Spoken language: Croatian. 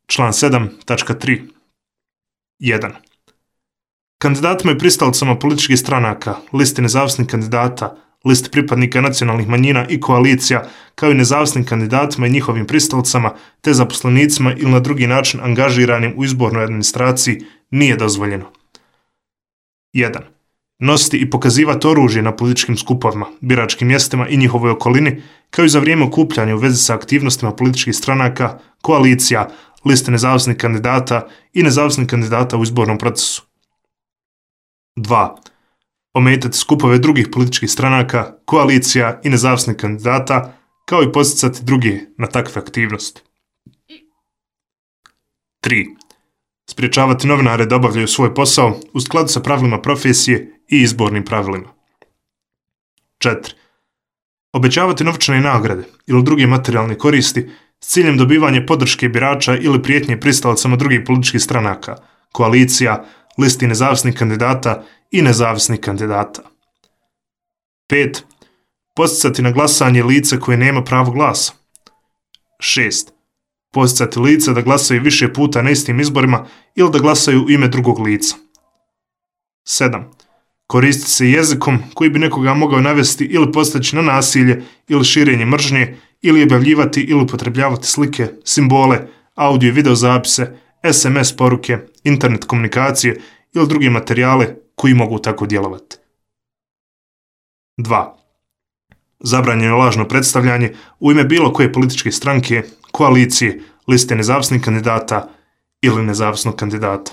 Član 7.3. 1. Kandidatima i pristalicama političkih stranaka, listi nezavisnih kandidata, listi pripadnika nacionalnih manjina i koalicija, kao i nezavisnim kandidatima i njihovim pristalicama, te zaposlenicima ili na drugi način angažiranim u izbornoj administraciji, nije dozvoljeno. 1. Nositi i pokazivati oružje na političkim skupovima, biračkim mjestima i njihovoj okolini, kao i za vrijeme okupljanja u vezi sa aktivnostima političkih stranaka, koalicija, liste nezavisnih kandidata i nezavisnih kandidata u izbornom procesu. 2. Ometati skupove drugih političkih stranaka, koalicija i nezavisnih kandidata, kao i podsticati druge na takve aktivnosti. 3. Spriječavati novinare da obavljaju svoj posao u skladu sa pravilima profesije i izbornim pravilima. 4. Obećavati novčane nagrade ili druge materijalne koristi s ciljem dobivanja podrške birača ili prijetnje pristalicama drugih političkih stranaka, koalicija, listi nezavisnih kandidata i nezavisnih kandidata. 5. Podsticati na glasanje lice koje nema pravo glasa. 6. Podsticati lice da glasaju više puta na istim izborima ili da glasaju u ime drugog lica. 7. Koristiti se jezikom koji bi nekoga mogao navesti ili postaći na nasilje ili širenje mržnje ili objavljivati ili upotrebljavati slike, simbole, audio i video zapise, SMS poruke, internet komunikacije ili druge materijale koji mogu tako djelovati. 2. Zabranjeno lažno predstavljanje u ime bilo koje političke stranke, koalicije, liste nezavisnih kandidata ili nezavisnog kandidata.